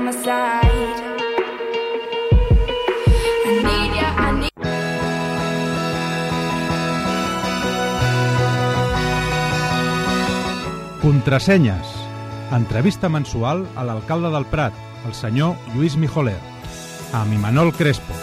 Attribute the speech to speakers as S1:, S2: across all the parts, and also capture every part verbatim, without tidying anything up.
S1: my side. I need ya, I need.
S2: Contrasenyes. Entrevista mensual a l'alcalde del Prat, el senyor Lluís Mijoler, amb Imanol Crespo.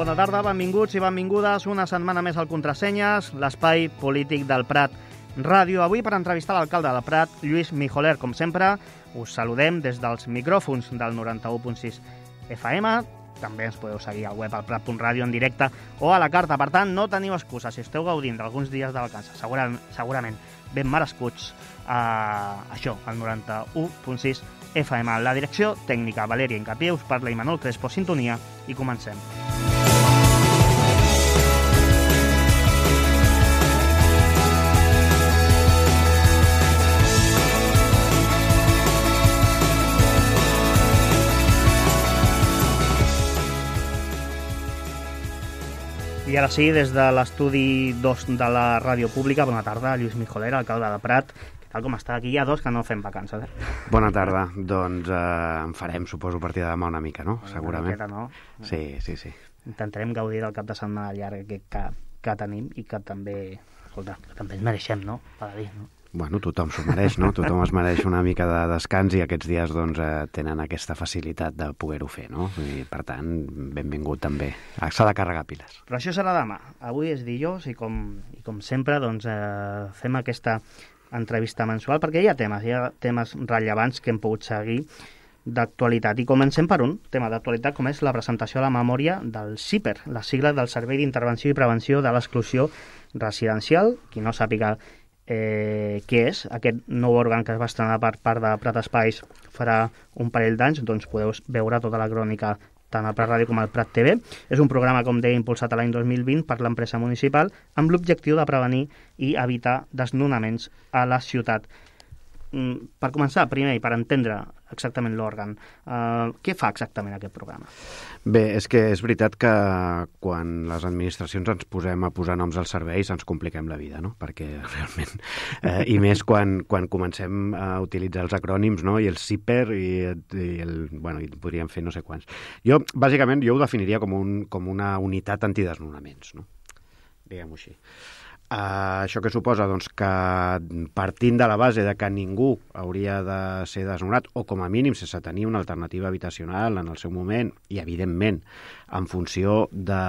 S3: Bona tarda, benvinguts i benvingudes una setmana més al Contrasenyes, l'espai polític del Prat Ràdio. Avui per entrevistar l'alcalde del Prat, Lluís Mijoler. Com sempre, us saludem des dels micròfons del noranta-u punt sis F M. També ens podeu seguir al web al prat punt ràdio en directe o a la carta. Per tant, no teniu excusa. Si esteu gaudint d'alguns dies de vacances, segurament, segurament ben merescuts, eh, això, al noranta-u punt sis F M. La direcció tècnica, Valèria Incapié, us parla Imanol Crespo, sintonia, i comencem. I ara sí, des de l'estudi dos de la ràdio pública, bona tarda, Lluís Mijoler, alcalde de Prat. Què tal com està? Aquí hi ha dos que no fem vacances, eh?
S4: Bona tarda. Doncs eh, en farem, suposo, a partir de demà una mica, no?
S3: Una
S4: Segurament.
S3: miqueta, no?
S4: Sí, sí, sí.
S3: Intentarem gaudir del cap de setmana llarg que, que, que tenim i que també, escolta, que també ens mereixem, no? Per dir, no?
S4: Bueno, tothom s'ho mereix, no? Tothom es mereix una mica de descans i aquests dies doncs, eh, tenen aquesta facilitat de poder-ho fer, no? I, per tant, benvingut també. S'ha de carregar piles.
S3: Però això serà demà. Avui és dijous i com, i com sempre doncs, eh, fem aquesta entrevista mensual perquè hi ha temes, hi ha temes rellevants que hem pogut seguir d'actualitat. I comencem per un tema d'actualitat com és la presentació a la memòria del S I P E R, la sigla del Servei d'Intervenció i Prevenció de l'Exclusió Residencial. Qui no sàpiga Eh, què és aquest nou òrgan que es va estrenar per part de Prat Espais farà un parell d'anys, doncs podeu veure tota la crònica tant al Prat Ràdio com al Prat T V. És un programa, com deia, impulsat l'any dos mil vint per l'empresa municipal amb l'objectiu de prevenir i evitar desnonaments a la ciutat. Mm, per començar, primer, i per entendre exactament l'òrgan, eh, què fa exactament aquest programa?
S4: Bé, és que és veritat que quan les administracions ens posem a posar noms als serveis ens compliquem la vida, no? Perquè realment... Eh, I més quan, quan comencem a utilitzar els acrònims, no? I el S I P E R i, i el... Bueno, i podríem fer no sé quants. Jo, bàsicament, jo ho definiria com, un, com una unitat antidesnonaments, no? Diguem-ho així. Uh, això que suposa doncs, que partint de la base de que ningú hauria de ser desnonat o com a mínim sense tenir una alternativa habitacional en el seu moment i evidentment en funció de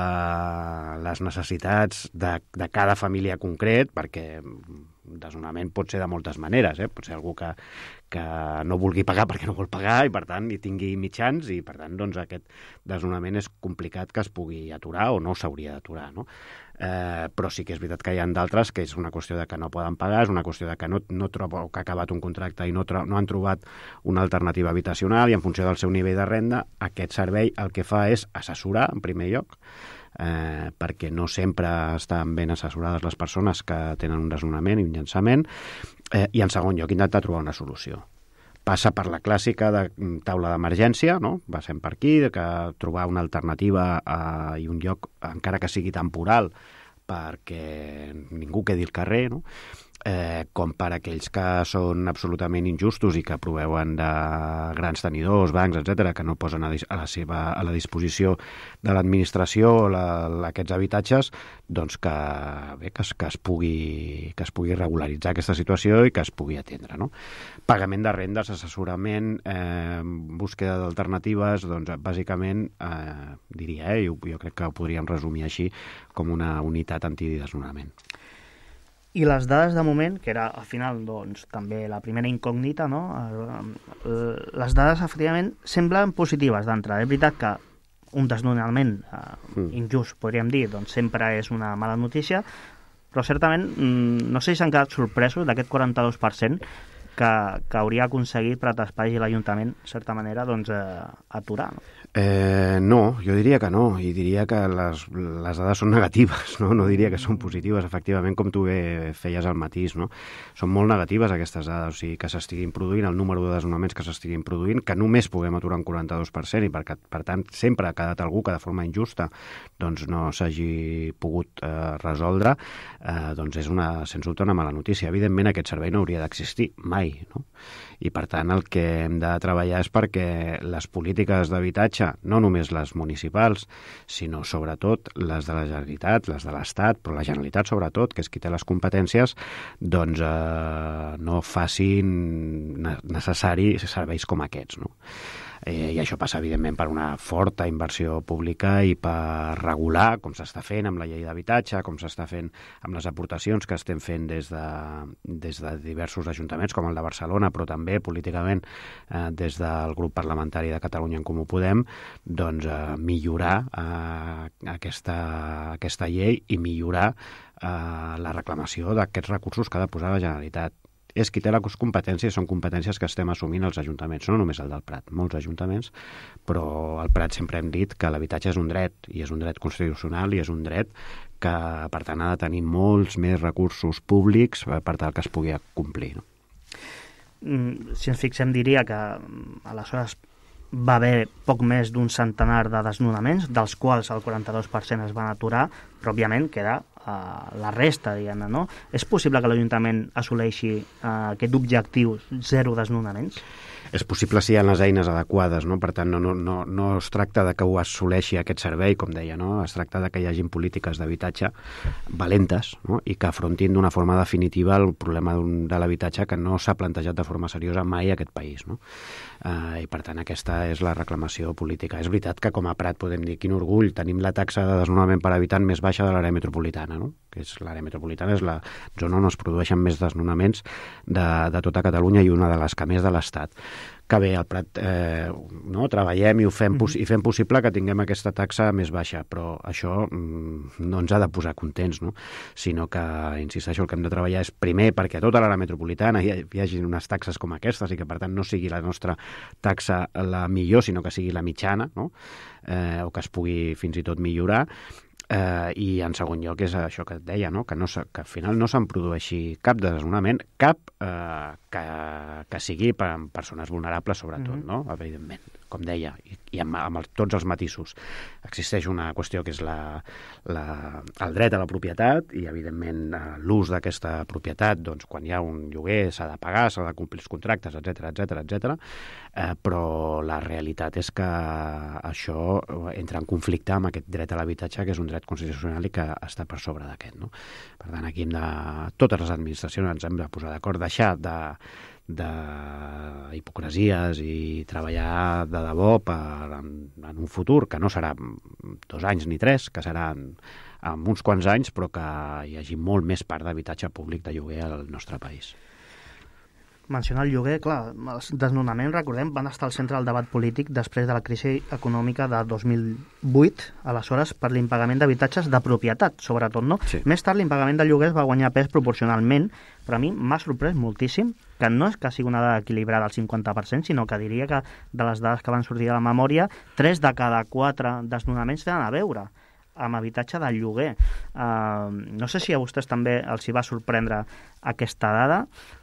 S4: les necessitats de, de cada família concret, perquè desnonament pot ser de moltes maneres, eh? Pot ser algú que, que no vulgui pagar perquè no vol pagar i per tant hi tingui mitjans i per tant doncs, aquest desnonament és complicat que es pugui aturar o no s'hauria d'aturar, no? Eh, però sí que és veritat que hi ha d'altres que és una qüestió de que no poden pagar, és una qüestió de que no, no troba, o que ha acabat un contracte i no, tro, no han trobat una alternativa habitacional i en funció del seu nivell de renda aquest servei el que fa és assessorar en primer lloc, eh, perquè no sempre estan ben assessorades les persones que tenen un desnonament i un llançament, eh, i en segon lloc intentar trobar una solució. Passa per la clàssica de taula d'emergència, no? Passem per aquí, de que trobar una alternativa eh, i un lloc, encara que sigui temporal, perquè ningú quedi al carrer, no? Eh, com per aquells que són absolutament injustos i que proveuen de grans tenidors, bancs, etcètera, que no posen a, a, la seva, a la disposició de l'administració la, aquests habitatges, doncs que, bé, que, es, que, es pugui, que es pugui regularitzar aquesta situació i que es pugui atendre, no? Pagament de rendes, assessorament, eh, búsqueda d'alternatives, doncs bàsicament eh, diria, eh, jo, jo crec que ho podríem resumir així com una unitat antidesnonament.
S3: I les dades de moment, que era al final doncs, també la primera incògnita, no? Les dades efectivament semblen positives d'entrada. És veritat que un desnonament eh, mm. injust, podríem dir, doncs sempre és una mala notícia, però certament no sé si s'han quedat sorpresos d'aquest quaranta-dos per cent que, que hauria aconseguit Prat Espais i l'Ajuntament, de certa manera, doncs, eh, aturar. No?
S4: Eh, no, jo diria que no, i diria que les, les dades són negatives, no? No diria que són positives, efectivament, com tu bé feies al matís, no? Són molt negatives aquestes dades, o sigui, que s'estiguin produint, el número de desnonaments que s'estiguin produint, que només puguem aturar un quaranta-dos per cent i per, per tant sempre ha quedat algú que de forma injusta doncs no s'hagi pogut eh, resoldre, eh, doncs és una, sens dubte una mala notícia. Evidentment aquest servei no hauria d'existir mai, no? I per tant el que hem de treballar és perquè les polítiques d'habitatge, no només les municipals, sinó sobretot les de la Generalitat, les de l'Estat, però la Generalitat sobretot, que és qui té les competències, doncs eh, no facin necessaris serveis com aquests, no? Eh, I això passa, evidentment, per una forta inversió pública i per regular, com s'està fent amb la llei d'habitatge, com s'està fent amb les aportacions que estem fent des de, des de diversos ajuntaments, com el de Barcelona, però també políticament eh, des del grup parlamentari de Catalunya en Comú Podem, doncs eh, millorar eh, aquesta, aquesta llei i millorar eh, la reclamació d'aquests recursos que ha de posar la Generalitat. És qui té les competències, són competències que estem assumint els ajuntaments, no només el del Prat, molts ajuntaments, però al Prat sempre hem dit que l'habitatge és un dret, i és un dret constitucional, i és un dret que, per tant, ha de tenir molts més recursos públics per tal que es pugui complir, no?
S3: Si ens fixem, diria que aleshores va haver poc més d'un centenar de desnonaments, dels quals el quaranta-dos per cent es van aturar, però òbviament queda uh, la resta, diguem-ne, no? És possible que l'Ajuntament assoleixi uh, aquest objectiu zero desnonaments?
S4: És possible si hi ha les eines adequades, no? Per tant, no, no, no, no es tracta de que ho assoleixi aquest servei, com deia, no? Es tracta de que hi hagin polítiques d'habitatge valentes, no? I que afrontin d'una forma definitiva el problema de l'habitatge que no s'ha plantejat de forma seriosa mai a aquest país, no? Uh, I per tant aquesta és la reclamació política. És veritat que com a Prat podem dir quin orgull, tenim la taxa de desnonament per habitant més baixa de l'àrea metropolitana, no? Que és l'àrea metropolitana és la zona on es produeixen més desnonaments de, de tota Catalunya i una de les que més de l'Estat. Que bé, al Prat eh, no, treballem i ho fem, mm-hmm. i fem possible que tinguem aquesta taxa més baixa, però això mm, no ens ha de posar contents, no? Sinó que, insisteixo, el que hem de treballar és primer perquè a tota l'àrea metropolitana hi, hi hagi unes taxes com aquestes i que per tant no sigui la nostra taxa la millor, sinó que sigui la mitjana, no? Eh, o que es pugui fins i tot millorar. Eh, I en segon lloc és això que et deia, no? que, no que al final no se'n produeixi cap desnonament, cap eh, que, que sigui per a persones vulnerables sobretot, mm-hmm. no? Evidentment, com deia, i, i amb, amb el, tots els matisos. Existeix una qüestió que és la, la, el dret a la propietat i evidentment l'ús d'aquesta propietat, doncs quan hi ha un lloguer s'ha de pagar, s'ha de complir els contractes, etcètera, etcètera, etcètera. Eh, però la realitat és que això entra en conflicte amb aquest dret a l'habitatge, que és un dret constitucional i que està per sobre d'aquest, no? Per tant, aquí hem de, totes les administracions ens hem de posar d'acord, deixar de, de hipocresies i treballar de debò per, en, en un futur que no serà dos anys ni tres, que serà en, en uns quants anys, però que hi hagi molt més part d'habitatge públic de lloguer al nostre país.
S3: Mencionar el lloguer, clar, els desnonaments, recordem, van estar al centre del debat polític després de la crisi econòmica de dos mil vuit, aleshores per l'impagament d'habitatges de propietat, sobretot, no?
S4: Sí.
S3: Més tard l'impagament de lloguers va guanyar pes proporcionalment, però a mi m'ha sorprès moltíssim que no és que sigui una dada equilibrada al cinquanta per cent, sinó que diria que de les dades que van sortir de la memòria, tres de cada quatre desnonaments tenen a veure amb habitatge de lloguer. Uh, no sé si a vostès també els hi va sorprendre aquesta dada,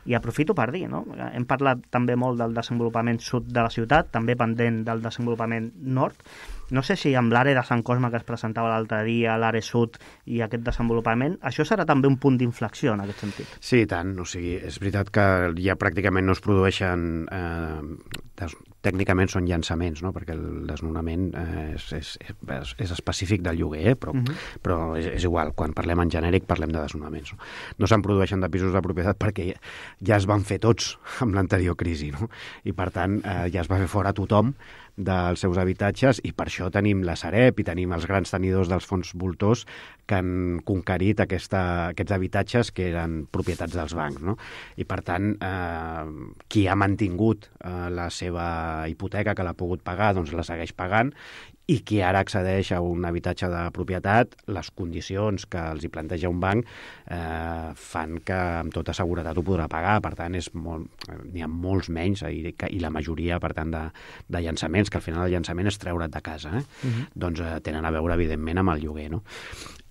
S3: i aprofito per dir, no? Hem parlat també molt del desenvolupament sud de la ciutat, també pendent del desenvolupament nord. No sé si amb l'àrea de Sant Cosme que es presentava l'altre dia, l'àrea sud i aquest desenvolupament, això serà també un punt d'inflexió en aquest sentit.
S4: Sí, i tant. O sigui, és veritat que ja pràcticament no es produeixen... Eh, des, tècnicament són llançaments, no? Perquè el desnonament eh, és, és, és, és específic del lloguer, eh? però, uh-huh. però és, és igual, quan parlem en genèric parlem de desnonaments. No, no se'n produeixen de pisos de propietat perquè ja, ja es van fer tots amb l'anterior crisi, no? I per tant eh, ja es va fer fora tothom dels seus habitatges i per això tenim la Sareb i tenim els grans tenidors dels fons voltors que han conquerit aquesta, aquests habitatges que eren propietats dels bancs, no? I per tant, eh, qui ha mantingut eh, la seva hipoteca, que l'ha pogut pagar, doncs la segueix pagant, i qui ara accedeix a un habitatge de propietat, les condicions que els hi planteja un banc eh, fan que amb tota seguretat ho podrà pagar. Per tant, és molt, n'hi ha molts menys i, i la majoria, per tant, de, de llançaments, que al final el llançament és treure't de casa, eh? Uh-huh. Doncs eh, tenen a veure, evidentment, amb el lloguer, no?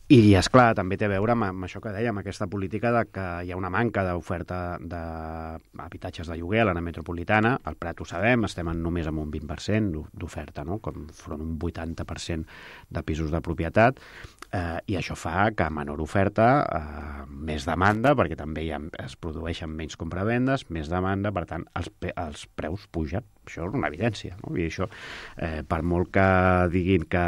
S4: I, és clar, també té a veure amb, amb això que dèiem, aquesta política de que hi ha una manca d'oferta d'habitatges de lloguer a l'àrea metropolitana. Al Prat ho sabem, estem en només amb un vint per cent d'oferta, no? Com front un vuitanta per cent de pisos de propietat, eh, i això fa que a menor oferta, eh, més demanda, perquè també hi ha, es produeixen menys compravendes, més demanda, per tant, els, els preus pugen. Això és una evidència, no? I això, eh, per molt que diguin que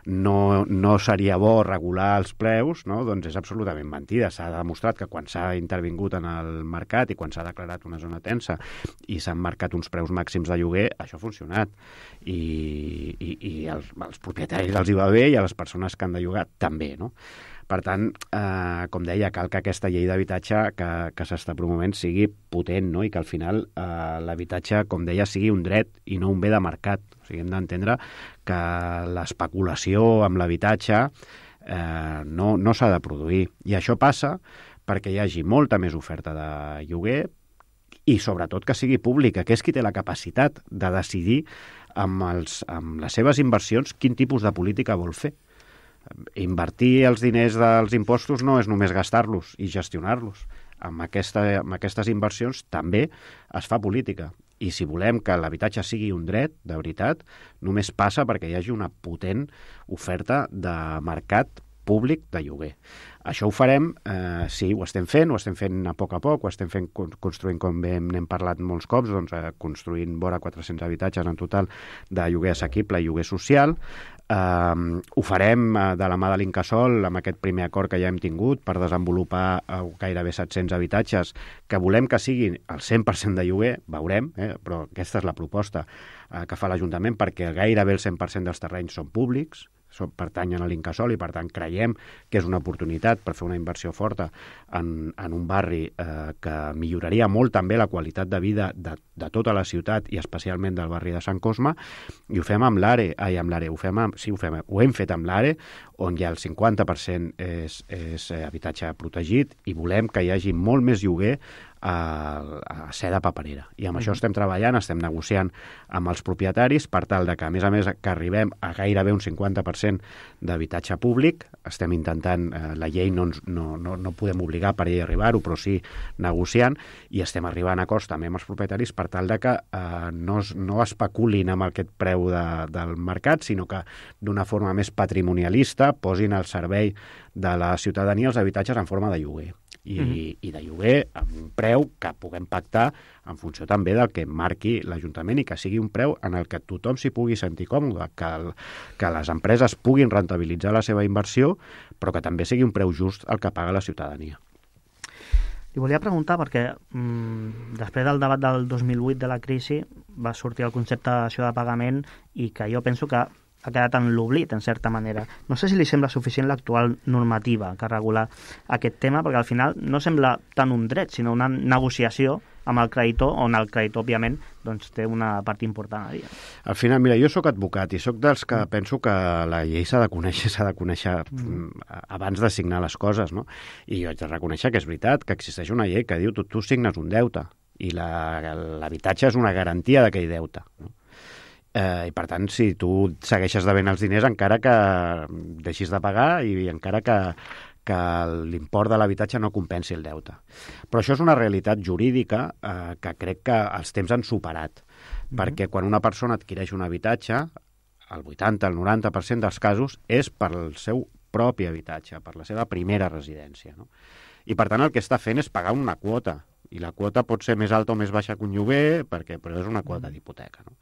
S4: no, no seria bo regular els preus, no? Doncs és absolutament mentida. S'ha demostrat que quan s'ha intervingut en el mercat i quan s'ha declarat una zona tensa i s'han marcat uns preus màxims de lloguer, això ha funcionat. I, i, i els, als propietaris els hi va bé i a les persones que han de llogar també, no? Per tant, eh, com deia, cal que aquesta llei d'habitatge que, que s'està promovent sigui potent, no? I que al final eh, l'habitatge, com deia, sigui un dret i no un bé de mercat. O sigui, hem d'entendre que l'especulació amb l'habitatge eh, no, no s'ha de produir. I això passa perquè hi hagi molta més oferta de lloguer i, sobretot, que sigui pública, que és qui té la capacitat de decidir amb, els, amb les seves inversions quin tipus de política vol fer. Invertir els diners dels impostos no és només gastar-los i gestionar-los. Amb, aquesta, amb aquestes inversions també es fa política. I si volem que l'habitatge sigui un dret, de veritat, només passa perquè hi hagi una potent oferta de mercat públic de lloguer. Això ho farem, eh, sí, ho estem fent, ho estem fent a poc a poc, ho estem fent construint, com bé n'hem parlat molts cops, doncs, eh, construint vora quatre-cents habitatges en total de lloguer assequible i lloguer social. Uh, ho farem uh, de la mà de l'Incasòl amb aquest primer acord que ja hem tingut per desenvolupar uh, gairebé set-cents habitatges que volem que siguin el cent per cent de lloguer, veurem, eh? Però aquesta és la proposta uh, que fa l'Ajuntament, perquè gairebé el cent per cent dels terrenys són públics, són, pertanyen a l'Incasòl, i per tant creiem que és una oportunitat per fer una inversió forta en, en un barri eh, que milloraria molt també la qualitat de vida de, de tota la ciutat i especialment del barri de Sant Cosme, i ho fem amb l'Are, ai, amb l'Are, ho fem amb, sí, ho, fem, ho hem fet amb l'Are, on ja el cinquanta per cent és, és habitatge protegit, i volem que hi hagi molt més lloguer a, a ser de paperera. I amb mm. això estem treballant, estem negociant amb els propietaris per tal de que, a més a més, que arribem a gairebé un cinquanta per cent d'habitatge públic. Estem intentant, eh, la llei no, ens, no, no, no podem obligar per ell a arribar-ho, però sí negociant, i estem arribant a acords també amb els propietaris per tal de que eh, no, no especulin amb aquest preu de, del mercat, sinó que d'una forma més patrimonialista posin al servei de la ciutadania els habitatges en forma de lloguer. I, mm-hmm. i de lloguer amb un preu que puguem pactar en funció també del que marqui l'Ajuntament, i que sigui un preu en el que tothom s'hi pugui sentir còmode, que, el, que les empreses puguin rentabilitzar la seva inversió, però que també sigui un preu just el que paga la ciutadania.
S3: Li volia preguntar perquè mmm, després del debat del dos mil vuit de la crisi va sortir el concepte de dació de pagament, i que jo penso que ha quedat en l'oblit, en certa manera. No sé si li sembla suficient l'actual normativa que regula aquest tema, perquè al final no sembla tant un dret, sinó una negociació amb el creditor, on el creditor, òbviament, doncs, té una part important a dir.
S4: Al final, mira, jo sóc advocat i sóc dels que mm. penso que la llei s'ha de conèixer, s'ha de conèixer mm. abans de signar les coses, no? I jo haig de reconèixer que és veritat que existeix una llei que diu tu, tu signes un deute, i l'habitatge és una garantia d'aquell deute, no? Eh, I per tant, si tu segueixes devent els diners encara que deixis de pagar i encara que, que l'import de l'habitatge no compensi el deute. Però això és una realitat jurídica eh, que crec que els temps han superat, mm-hmm. perquè quan una persona adquireix un habitatge, el vuitanta, el noranta per cent dels casos és per el seu propi habitatge, per la seva primera residència, no? I per tant el que està fent és pagar una quota, i la quota pot ser més alta o més baixa que un lloguer, perquè, però és una quota d'hipoteca, no?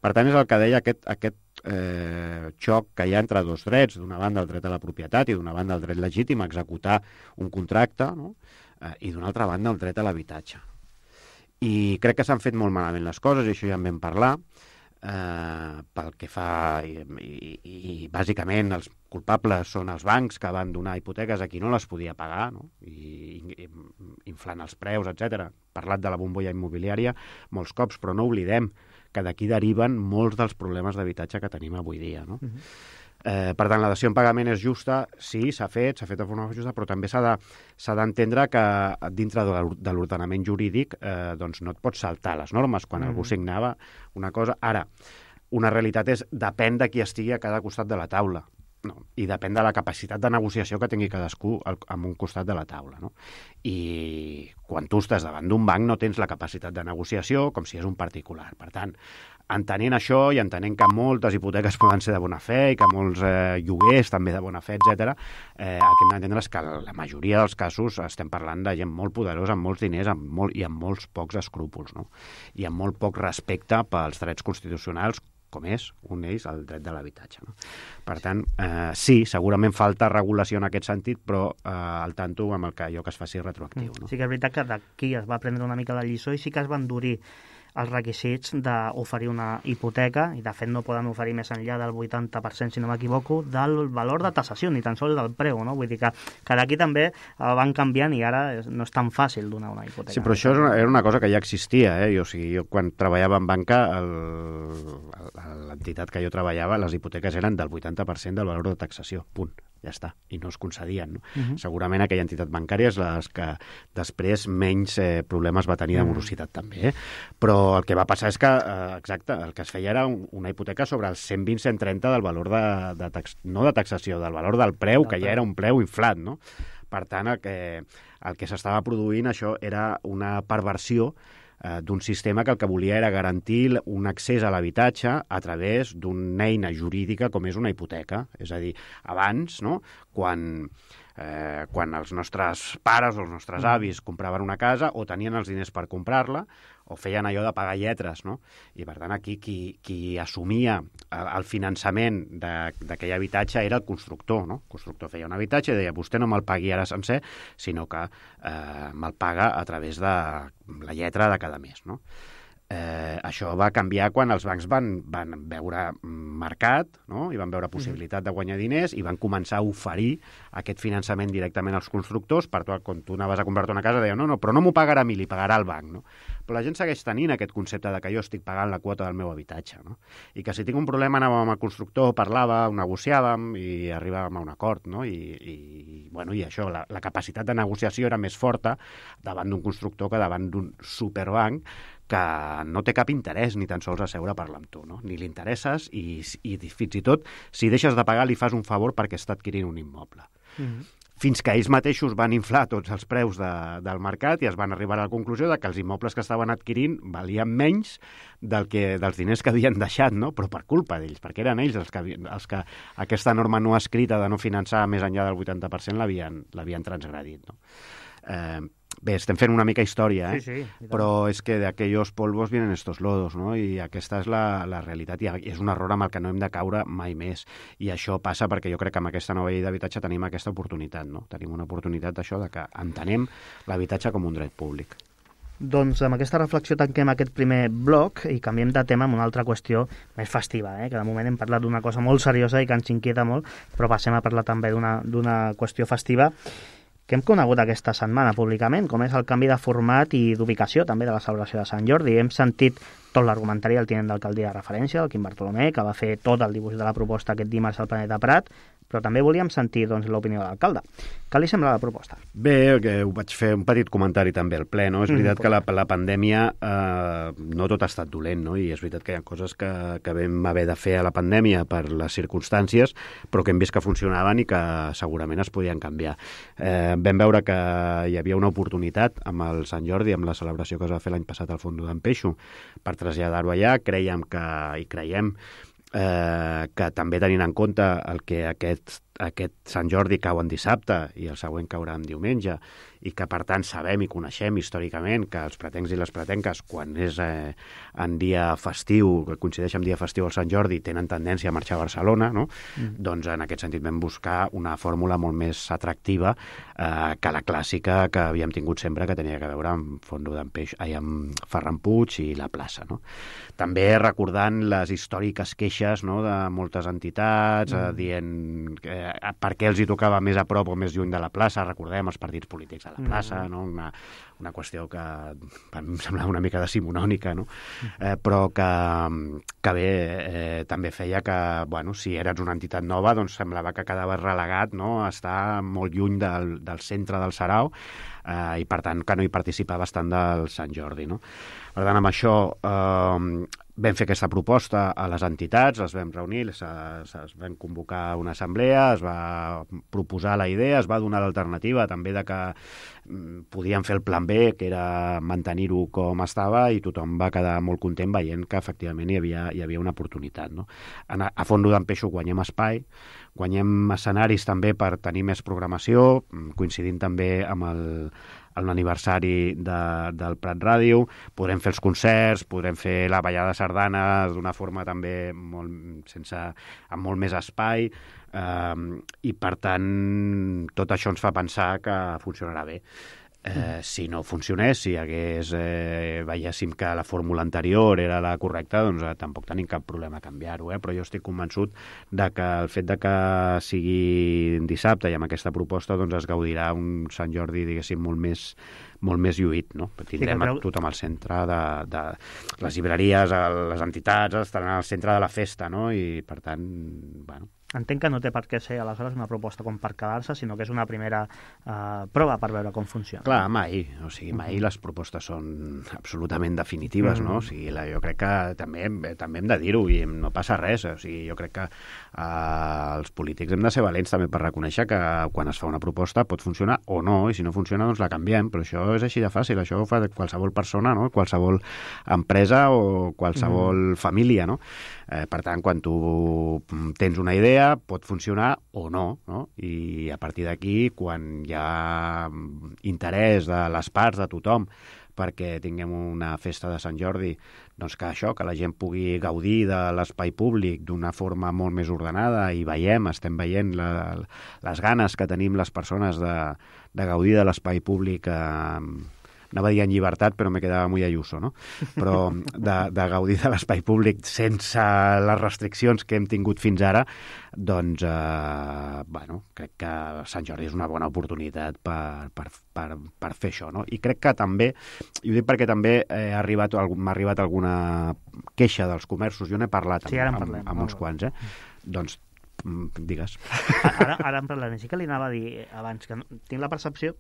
S4: Per tant, és el que deia aquest, aquest eh, xoc que hi ha entre dos drets, d'una banda el dret a la propietat i d'una banda el dret legítim a executar un contracte, no? eh, i d'una altra banda el dret a l'habitatge. I crec que s'han fet molt malament les coses, i això ja en vam parlar, eh, pel que fa... I, i, i bàsicament els culpables són els bancs que van donar hipoteques a qui no les podia pagar, no? I, i inflant els preus, etcètera. Parlat de la bombolla immobiliària molts cops, però no oblidem que d'aquí deriven molts dels problemes d'habitatge que tenim avui dia, no? Uh-huh. Eh, per tant, la dació en pagament és justa, sí, s'ha fet, s'ha fet de forma justa, però també s'ha de, s'ha d'entendre que dintre de l'ordenament jurídic eh, doncs no et pots saltar les normes quan mm. algú signava una cosa. Ara, una realitat és depèn de qui estigui a cada costat de la taula, no? I depèn de la capacitat de negociació que tingui cadascú al, en un costat de la taula, no? I quan tu estàs davant d'un banc no tens la capacitat de negociació com si és un particular. Per tant, entenent això i entenent que moltes hipoteques poden ser de bona fe i que molts eh, lloguers també de bona fe, etcètera, eh, el que hem d'entendre és que la majoria dels casos estem parlant de gent molt poderosa, amb molts diners amb molt, i amb molts pocs escrúpols, no? I amb molt poc respecte pels drets constitucionals, com és un d'ells el dret de l'habitatge, no? Per tant, eh, sí, segurament falta regulació en aquest sentit, però eh, al tanto amb el que allò que es faci retroactiu, no?
S3: Sí que és veritat que d'aquí es va prendre una mica la lliçó i sí que es va endurir els requisits d'oferir una hipoteca, i de fet no poden oferir més enllà del vuitanta per cent, si no m'equivoco, del valor de tasació, ni tan sols del preu, no? Vull dir que, que d'aquí també el van canviant i ara no és tan fàcil donar una hipoteca.
S4: Sí, però això era una cosa que ja existia, eh? Jo, o sigui, jo quan treballava en banca, l'entitat que jo treballava, les hipoteques eren del vuitanta per cent del valor de taxació, punt. Ja està, i no es concedien, no? Uh-huh. Segurament aquella entitat bancària és la que després menys eh, problemes va tenir de morositat uh-huh. també, eh? Però el que va passar és que, eh, exacte, el que es feia era un, una hipoteca sobre el cent vint cent trenta del valor de, de tax, no de taxació, del valor del preu, que ja era un preu inflat, no? Per tant, el que, el que s'estava produint, això era una perversió d'un sistema que el que volia era garantir un accés a l'habitatge a través d'una eina jurídica com és una hipoteca. És a dir, abans, no?, quan, eh, quan els nostres pares o els nostres avis compraven una casa o tenien els diners per comprar-la o feien allò de pagar lletres, no? I, per tant, aquí qui, qui assumia el, el finançament d'aquell habitatge era el constructor, no? El constructor feia un habitatge i deia, vostè no me'l pagui ara sencer, sinó que eh, me'l paga a través de la lletra de cada mes, no? Eh, això va canviar quan els bancs van, van veure mercat, no? I van veure possibilitat de guanyar diners i van començar a oferir aquest finançament directament als constructors. Per tant, quan tu anaves a comprar-te una casa, deia, no, no, però no m'ho pagarà a mi, li pagarà al banc, no? Però la gent segueix tenint aquest concepte de que jo estic pagant la quota del meu habitatge, no? I que si tinc un problema anàvem amb el constructor, parlàvem, negociàvem i arribàvem a un acord, no? I, i, bueno, i això, la, la capacitat de negociació era més forta davant d'un constructor que davant d'un superbanc que no té cap interès ni tan sols a seure a parlar amb tu, no? Ni li interesses i, i fins i tot, si deixes de pagar, li fas un favor perquè està adquirint un immoble. Mm-hmm. Fins que ells mateixos van inflar tots els preus de, del mercat i es van arribar a la conclusió de que els immobles que estaven adquirint valien menys del que, dels diners que havien deixat, no? Però per culpa d'ells, perquè eren ells els que, els que aquesta norma no escrita de no finançar més enllà del vuitanta per cent l'havien l'havien transgredit, no? Eh, Bé, estem fent una mica història, eh?
S3: Sí, sí,
S4: però és que de aquellos polvos vienen estos lodos, no? I aquesta és la, la realitat, i és un error amb el que no hem de caure mai més. I això passa perquè jo crec que amb aquesta nova llei d'habitatge tenim aquesta oportunitat, no? Tenim una oportunitat d'això, de que entenem l'habitatge com un dret públic.
S3: Doncs amb aquesta reflexió tanquem aquest primer bloc i canviem de tema amb una altra qüestió més festiva, eh? Que de moment hem parlat d'una cosa molt seriosa i que ens inquieta molt, però passem a parlar també d'una d'una qüestió festiva que hem conegut aquesta setmana públicament, com és el canvi de format i d'ubicació també de la celebració de Sant Jordi. Hem sentit tot l'argumentari del tinent d'alcaldia de referència, el Quim Bartolomé, que va fer tot el dibuix de la proposta aquest dimarts al Planeta Prat, però també volíem sentir doncs, l'opinió de l'alcalde. Què li sembla la proposta?
S4: Bé, que ho vaig fer un petit comentari també al ple, no? És veritat mm, que la, la pandèmia eh, no tot ha estat dolent, no? I és veritat que hi ha coses que, que vam haver de fer a la pandèmia per les circumstàncies, però que hem vist que funcionaven i que segurament es podien canviar. Eh, vam veure que hi havia una oportunitat amb el Sant Jordi, amb la celebració que es va fer l'any passat al Fondo d'en Peixo, per traslladar-ho allà. Creiem que, i creiem eh, que també tenint en compte el que aquest, aquest Sant Jordi cau en dissabte i el següent caurà en diumenge, i que per tant sabem i coneixem històricament que els pretencs i les pretenques, quan és eh, en dia festiu, que coincideix amb dia festiu al Sant Jordi, tenen tendència a marxar a Barcelona, no? Mm. Doncs en aquest sentit vam buscar una fórmula molt més atractiva eh, que la clàssica que havíem tingut sempre, que tenia que veure amb Fondo d'en Peix, ai, amb Ferran Puig i la plaça, no? També recordant les històriques queixes, no?, de moltes entitats, mm. eh, dient que eh, per què els hi tocava més a prop o més lluny de la plaça, recordem els partits polítics a la plaça, no? una, una qüestió que a mi em semblava una mica decimonònica, no? eh, però que, que bé, eh, també feia que, bueno, si eres una entitat nova, doncs semblava que quedaves relegat, no? A estar molt lluny del, del centre del Sarau, eh, i per tant que no hi participaves tant del Sant Jordi, no? Per tant, amb això eh, vam fer aquesta proposta a les entitats, les vam reunir, es, es vam convocar una assemblea, es va proposar la idea, es va donar l'alternativa també de que mm, podíem fer el plan B, que era mantenir-ho com estava, i tothom va quedar molt content veient que efectivament hi havia, hi havia una oportunitat, no? A, a Fondo d'en Peixo guanyem espai, guanyem escenaris també per tenir més programació, coincidint també amb el en l'aniversari de, del Prat Ràdio, podrem fer els concerts, podrem fer la ballada de sardanes d'una forma també molt, sense, amb molt més espai, eh, i per tant tot això ens fa pensar que funcionarà bé. Eh, si no funcionés, si hagués, eh, veiéssim que la fórmula anterior era la correcta, doncs eh, tampoc tenim cap problema a canviar-ho, eh? Però jo estic convençut de que el fet de que sigui dissabte i amb aquesta proposta doncs es gaudirà un Sant Jordi, diguéssim, molt més molt més lluït, no? Tindrem sí, però... tothom al centre de, de les llibreries, les entitats estaran al centre de la festa, no? I per tant, bueno...
S3: Entenc que no té per què ser aleshores una proposta com per quedar-se, sinó que és una primera eh, prova per veure com funciona.
S4: Clar, mai. O sigui, mai uh-huh. les propostes són absolutament definitives, uh-huh. no? O sigui, la, jo crec que també, també hem de dir-ho i no passa res. O sigui, jo crec que eh, els polítics hem de ser valents també per reconèixer que quan es fa una proposta pot funcionar o no, i si no funciona doncs la canviem, però això és així de fàcil, això ho fa qualsevol persona, no? Qualsevol empresa o qualsevol uh-huh. família, no? Eh, per tant, quan tu tens una idea, pot funcionar o no, no? I a partir d'aquí, quan hi ha interès de les parts, de tothom, perquè tinguem una festa de Sant Jordi, doncs que això, que la gent pugui gaudir de l'espai públic d'una forma molt més ordenada, i veiem, estem veient la, les ganes que tenim les persones de, de gaudir de l'espai públic, eh, anava a dir en llibertat, però me quedava muy Ayuso, no? Però de, de gaudir de l'espai públic sense les restriccions que hem tingut fins ara, doncs, eh, bueno, crec que Sant Jordi és una bona oportunitat per, per, per, per fer això, no? I crec que també, i ho dic perquè també eh, ha arribat, m'ha arribat alguna queixa dels comerços, jo n'he parlat amb,
S3: sí, amb,
S4: amb, amb uns quants, eh? Doncs, digues.
S3: Ara, ara en parlarem. Sí que li anava a dir abans que no, tinc la percepció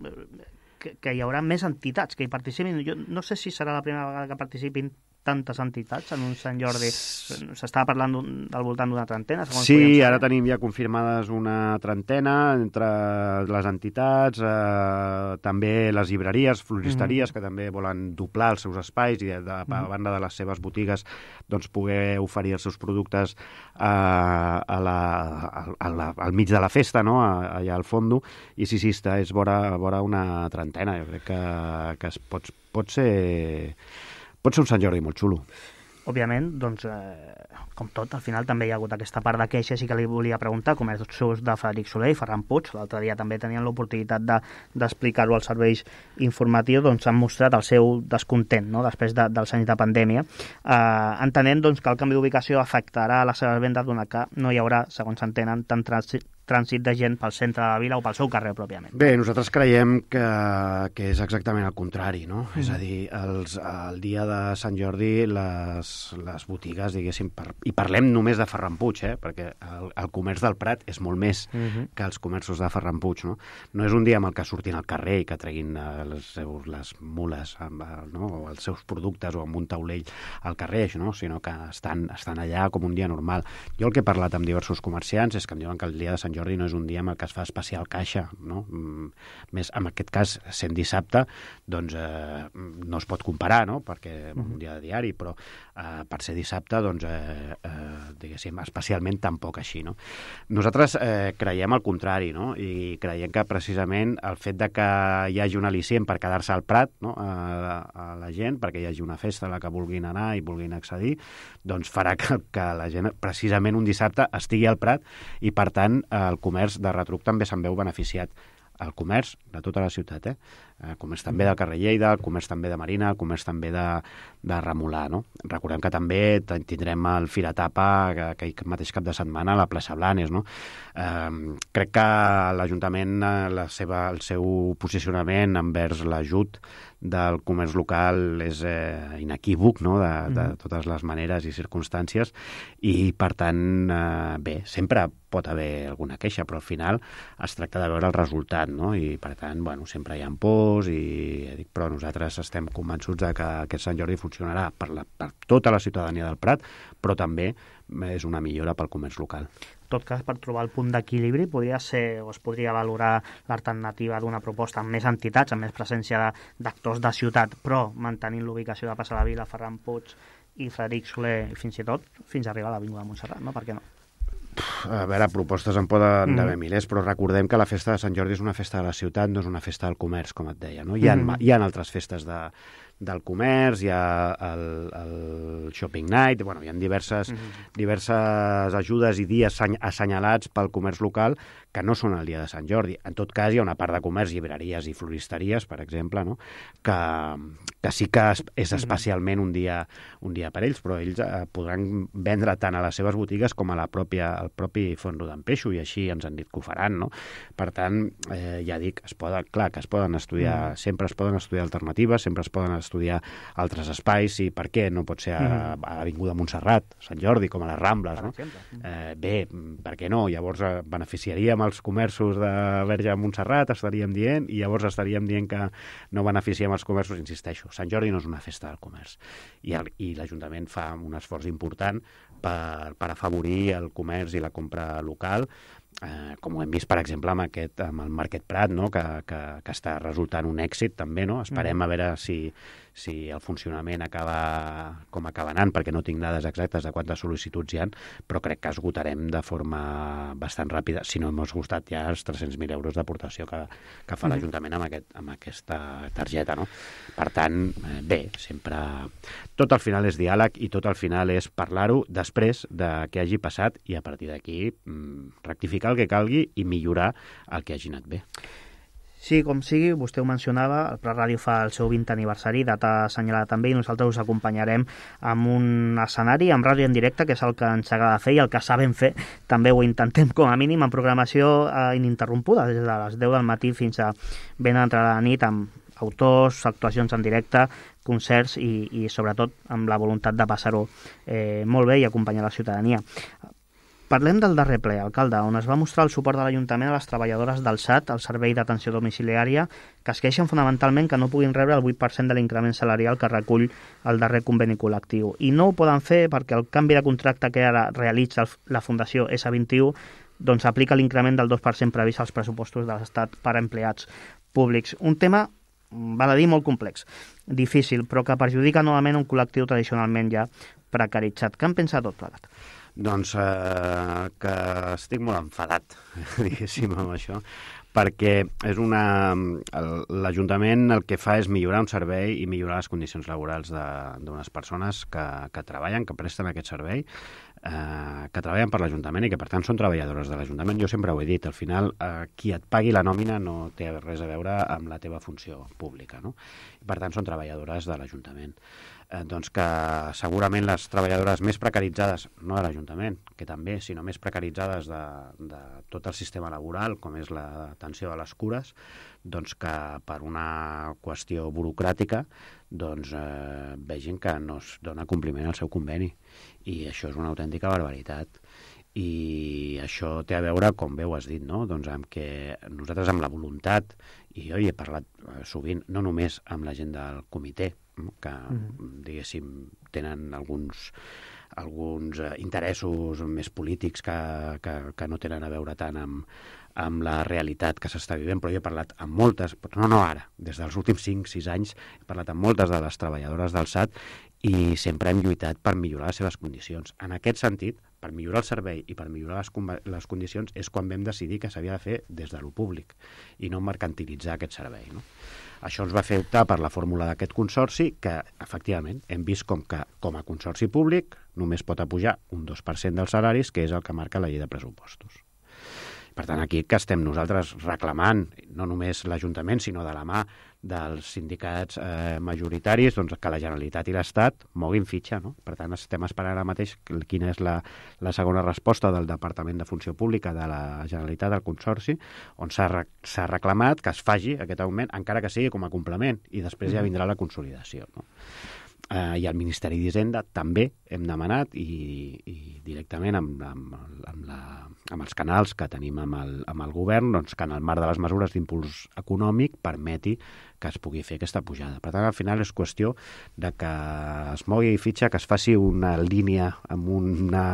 S3: que, que hi haurà més entitats que hi participin. Jo no sé si serà la primera vegada que participin tantes entitats en un Sant Jordi. S'estava parlant al voltant d'una trentena, segons
S4: sí, ara tenim ja confirmades una trentena entre les entitats, eh, també les llibreries, floristeries, mm-hmm. que també volen doblar els seus espais i de, de, a banda de les seves botigues doncs poder oferir els seus productes eh, a la, a la, al mig de la festa, no? Allà al fondo, i sí, sí, està, és vora, vora una trentena. Jo crec que, que es pot, pot ser... Pot ser un Sant Jordi molt xulo.
S3: Òbviament, doncs, eh, com tot, al final també hi ha hagut aquesta part de queixes i que li volia preguntar, com és els de Frederic Soler i Ferran Puig. L'altre dia també tenien l'oportunitat de, d'explicar-ho als serveis informatius, doncs han mostrat el seu descontent, no?, després de, dels anys de pandèmia, eh, entenent doncs, que el canvi d'ubicació afectarà les seves vendes, donat que no hi haurà, segons s'entenen, tant trànsit trànsit de gent pel centre de la vila o pel seu carrer pròpiament.
S4: Bé, nosaltres creiem que, que és exactament el contrari, no? Mm. És a dir, els, el dia de Sant Jordi les, les botigues, diguéssim, per, i parlem només de Ferran Puig, eh? Perquè el, el comerç del Prat és molt més mm-hmm. que els comerços de Ferran Puig, no? No és un dia amb el que surtin al carrer i que treguin els seus, les mules, amb, no? O els seus productes o amb un taulell al carrer, no? Sinó que estan, estan allà com un dia normal. Jo el que he parlat amb diversos comerciants és que em diuen que el dia de Sant Jordi Jordi no és un dia en el que es fa especial caixa, no? Més, en aquest cas, sent dissabte, doncs eh, no es pot comparar, no? Perquè un dia de diari, però eh, per ser dissabte, doncs, eh, eh, diguéssim, especialment tampoc així, no? Nosaltres eh, creiem el contrari, no? I creiem que precisament el fet de que hi hagi un al·licient per quedar-se al Prat, no? a, a la gent, perquè hi hagi una festa a la que vulguin anar i vulguin accedir, doncs farà que, que la gent precisament un dissabte estigui al Prat i, per tant, el comerç de retruc també se'n veu beneficiat. el comerç de tota la ciutat, eh? El comerç també del carrer Lleida, el comerç també de Marina, el comerç també de, de Remolà, no? Recordem que també tindrem el Firatapa aquell mateix cap de setmana a la plaça Blanes, no? Eh, crec que l'Ajuntament, la seva, el seu posicionament envers l'ajut del comerç local és eh, inequívoc, no?, de, de totes les maneres i circumstàncies, i per tant, eh, bé, sempre pot haver alguna queixa, però al final es tracta de veure el resultat, no?, i per tant, bueno, sempre hi ha pors, i, dic, però nosaltres estem convençuts de que aquest Sant Jordi funcionarà per, la, per tota la ciutadania del Prat, però també és una millora pel comerç local.
S3: En tot cas, per trobar el punt d'equilibri, podria ser, o es podria valorar l'alternativa d'una proposta amb més entitats, amb més presència d'actors de ciutat, però mantenint l'ubicació de Passa la Vila, Ferran Puig i Frederic Soler, fins i tot, fins a arribar a l'Avinguda de Montserrat, no? Per què no?
S4: A veure, propostes en poden mm. haver milers, però recordem que la festa de Sant Jordi és una festa de la ciutat, no és una festa del comerç, com et deia, no? Hi ha, mm. hi ha altres festes de, del comerç, hi ha el, el Shopping Night, bueno, hi ha diverses, mm. diverses ajudes i dies assenyalats pel comerç local que no són el dia de Sant Jordi. En tot cas, hi ha una part de comerç, llibreries i floristeries, per exemple, no?, que, que sí que és especialment un dia, un dia per ells, però ells eh, podran vendre tant a les seves botigues com a la pròpia, al propi Font Rodon Peixo, i així ens han dit que ho faran, no? Per tant, eh, ja dic, es poden, clar que es poden estudiar, mm. sempre es poden estudiar alternatives, sempre es poden estudiar altres espais, i per què no pot ser a, mm. a l'Avinguda Montserrat, Sant Jordi, com a les Rambles, no? Eh, bé, per què no? Llavors eh, beneficiaríem els comerços de Verge a Montserrat, estaríem dient, i llavors estaríem dient que no beneficiem els comerços, insisteixo. Sant Jordi no és una festa del comerç, i, el, i l'Ajuntament fa un esforç important per, per afavorir el comerç i la compra local, eh, com ho hem vist, per exemple, amb, aquest, amb el Market Prat, no?, que, que, que està resultant un èxit també, no? Esperem mm. a veure si, si el funcionament acaba com acaba anant, perquè no tinc dades exactes de quantes sol·licituds hi ha, però crec que esgotarem de forma bastant ràpida, si no hem esgotat ja els tres-cents mil euros d'aportació que, que fa mm. l'Ajuntament amb, aquest, amb aquesta targeta, no? Per tant, eh, bé, sempre... Tot al final és diàleg i tot al final és parlar-ho després de què hagi passat i a partir d'aquí mm, rectificar el que calgui i millorar el que hagi anat bé.
S3: Sí, com sigui, vostè ho mencionava, el Prat Ràdio fa el seu vint aniversari, data assenyalada també, i nosaltres us acompanyarem amb un escenari, amb ràdio en directe, que és el que ens agrada fer i el que sabem fer, també ho intentem com a mínim, en programació eh, ininterrompuda, des de les deu del matí fins a ben entrada la nit, amb autors, actuacions en directe, concerts i, i sobretot amb la voluntat de passar-ho eh, molt bé i acompanyar la ciutadania. Parlem del darrer ple, alcalde, on es va mostrar el suport de l'Ajuntament a les treballadores del S A T, el Servei d'Atenció Domiciliària, que es queixen fonamentalment que no puguin rebre el vuit per cent de l'increment salarial que recull el darrer conveni col·lectiu. I no ho poden fer perquè el canvi de contracte que ara realitza la Fundació S vint un doncs aplica l'increment del dos per cent previst als pressupostos de l'Estat per a empleats públics. Un tema, val a dir, molt complex, difícil, però que perjudica novament un col·lectiu tradicionalment ja precaritzat. Què en pensa tot plegat?
S4: Doncs eh, que estic molt enfadat, diguéssim, amb això, perquè és una... l'Ajuntament el que fa és millorar un servei i millorar les condicions laborals d'unes persones que, que treballen, que presten aquest servei, eh, que treballen per l'Ajuntament i que, per tant, són treballadores de l'Ajuntament. Jo sempre ho he dit, al final, eh, qui et pagui la nòmina no té res a veure amb la teva funció pública, no? I, per tant, són treballadores de l'Ajuntament. Eh, doncs que segurament les treballadores més precaritzades, no de l'Ajuntament, que també, sinó més precaritzades de, de tot el sistema laboral, com és l'atenció a les cures, doncs que per una qüestió burocràtica doncs, eh, vegin que no es dona compliment al seu conveni. I això és una autèntica barbaritat. I això té a veure, com bé ho has dit, no? Doncs amb que nosaltres amb la voluntat, i jo hi he parlat sovint, no només amb la gent del comitè, que, diguéssim, tenen alguns, alguns interessos més polítics que, que, que no tenen a veure tant amb, amb la realitat que s'està vivint, però jo he parlat amb moltes, no, no ara, des dels últims cinc sis anys, he parlat amb moltes de les treballadores del S A T i sempre hem lluitat per millorar les seves condicions. En aquest sentit, per millorar el servei i per millorar les, les condicions és quan vam decidir que s'havia de fer des de lo públic i no mercantilitzar aquest servei, no? Això ens va fer optar per la fórmula d'aquest consorci que, efectivament, hem vist com que com a consorci públic només pot apujar un dos per cent dels salaris, que és el que marca la llei de pressupostos. Per tant, aquí que estem nosaltres reclamant, no només l'Ajuntament, sinó de la mà dels sindicats eh, majoritaris, doncs que la Generalitat i l'Estat moguin fitxa, no? Per tant, estem esperant ara mateix quina és la, la segona resposta del Departament de Funció Pública de la Generalitat, del Consorci, on s'ha s'ha reclamat que es faci aquest augment, encara que sigui com a complement, i després ja vindrà la consolidació, no? Eh, I al Ministeri d'Hisenda també hem demanat i, i directament amb, amb, amb, la, amb els canals que tenim amb el, amb el govern, doncs, que en el marc de les mesures d'impuls econòmic permeti que es pugui fer aquesta pujada. Per tant, al final és qüestió de que es mogui fitxa, que es faci una línia amb una,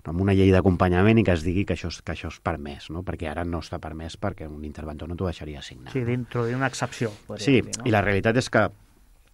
S4: amb una llei d'acompanyament i que es digui que això, que això és permès, no? Perquè ara no està permès perquè un interventor no t'ho deixaria signar.
S3: Sí, d'introduir una excepció.
S4: Sí,
S3: dir, no?
S4: I la realitat és que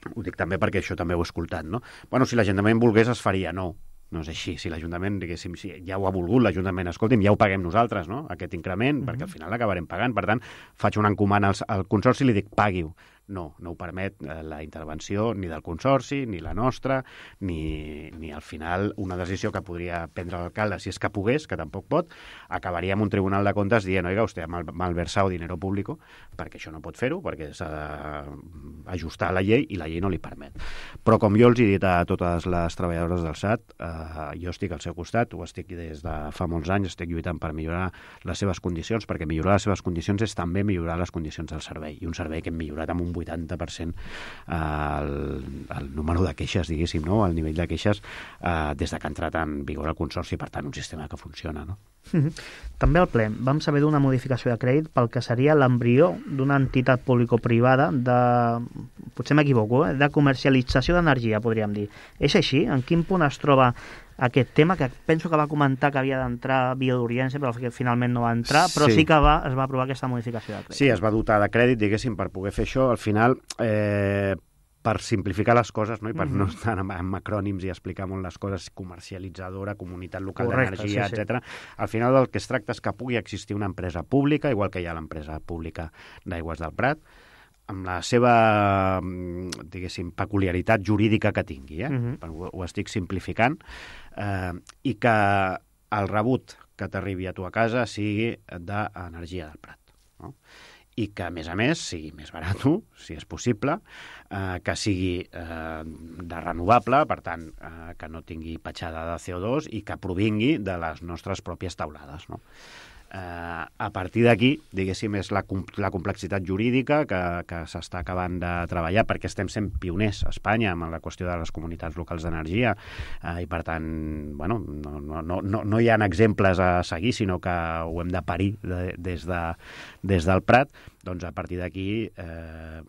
S4: ho dic també perquè això també ho he escoltat, no? Bueno, si l'Ajuntament volgués es faria, no. No és així. Si l'Ajuntament, diguéssim, si ja ho ha volgut l'Ajuntament, escolti'm, ja ho paguem nosaltres, no?, aquest increment, mm-hmm. perquè al final l'acabarem pagant. Per tant, faig una encomana al, al Consorci i li dic, pagui-ho. No, no ho permet eh, la intervenció ni del Consorci, ni la nostra, ni, ni al final una decisió que podria prendre l'alcalde, si és que pogués, que tampoc pot, acabaria amb un tribunal de comptes dient, oiga, usted ha mal, malversado dinero público, perquè això no pot fer-ho, perquè s'ha d'ajustar la llei i la llei no li permet. Però com jo els he dit a totes les treballadores del S A T, eh, jo estic al seu costat, ho estic des de fa molts anys, estic lluitant per millorar les seves condicions, perquè millorar les seves condicions és també millorar les condicions del servei, i un servei que hem millorat amb un vuitanta per cent el, el número de queixes, diguéssim, no? El nivell de queixes eh, des de que ha entrat en vigor el Consorci, per tant, un sistema que funciona, no?
S3: També al ple vam saber d'una modificació de crèdit pel que seria l'embrió d'una entitat público-privada de, potser m'equivoco, eh? de comercialització d'energia, podríem dir. És així? En quin punt es troba aquest tema, que penso que va comentar que havia d'entrar via d'urgència, però que finalment no va entrar, però sí, sí que va, es va aprovar aquesta modificació de crèdit.
S4: Sí, es va dotar de crèdit, diguéssim, per poder fer això. Al final, eh, per simplificar les coses, no? I per mm-hmm. no estar amb, amb acrònims i explicar molt les coses, comercialitzadora, comunitat local d'energia, sí, etcètera. Sí. Al final del que es tracta és que pugui existir una empresa pública, igual que hi ha l'empresa pública d'Aigües del Prat, amb la seva, diguéssim, peculiaritat jurídica que tingui, eh? Mm-hmm. Ho, ho estic simplificant, eh, i que el rebut que t'arribi a tu a casa sigui d'energia del Prat, no? I que, a més a més, sigui més barat, si és possible, eh, que sigui eh, de renovable, per tant, eh, que no tingui petjada de C O dos i que provingui de les nostres pròpies teulades, no? Eh, a partir d'aquí, diguéssim, és la, la complexitat jurídica que, que s'està acabant de treballar, perquè estem sent pioners a Espanya amb la qüestió de les comunitats locals d'energia, eh, i per tant, bueno, no, no, no, no hi ha exemples a seguir, sinó que ho hem de parir de, des, de, des del Prat. Doncs a partir d'aquí eh,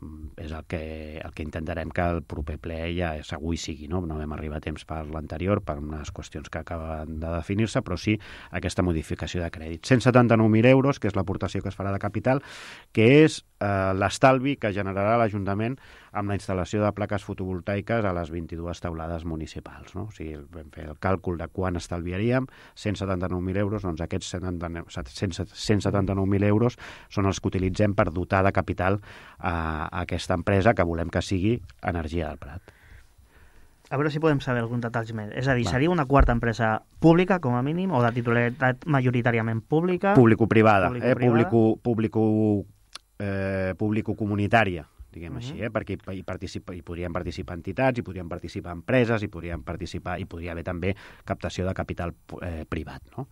S4: és el que, el que intentarem que el proper ple ja segur hi sigui, no? No vam arribar a temps per l'anterior, per unes qüestions que acaben de definir-se, però sí aquesta modificació de crèdit. cent setanta-nou mil euros, que és l'aportació que es farà de capital, que és eh, l'estalvi que generarà l'Ajuntament amb la instal·lació de plaques fotovoltaiques a les vint-i-dues teulades municipals, no? O sigui, vam fer el càlcul de quan estalviaríem, cent setanta-nou mil euros, doncs aquests cent setanta-nou mil euros són els que utilitzem per dotar de capital a, a aquesta empresa que volem que sigui Energia del Prat.
S3: A veure si podem saber alguns detalls més. És a dir, Va. seria una quarta empresa pública, com a mínim, o de titularitat majoritàriament pública?
S4: Público-privada, eh? Público, público, eh, público-comunitària, diguem uh-huh. així, eh? Perquè hi, participa, hi podrien participar entitats, hi podrien participar empreses, hi podrien participar, hi podria haver també captació de capital eh, privat, no?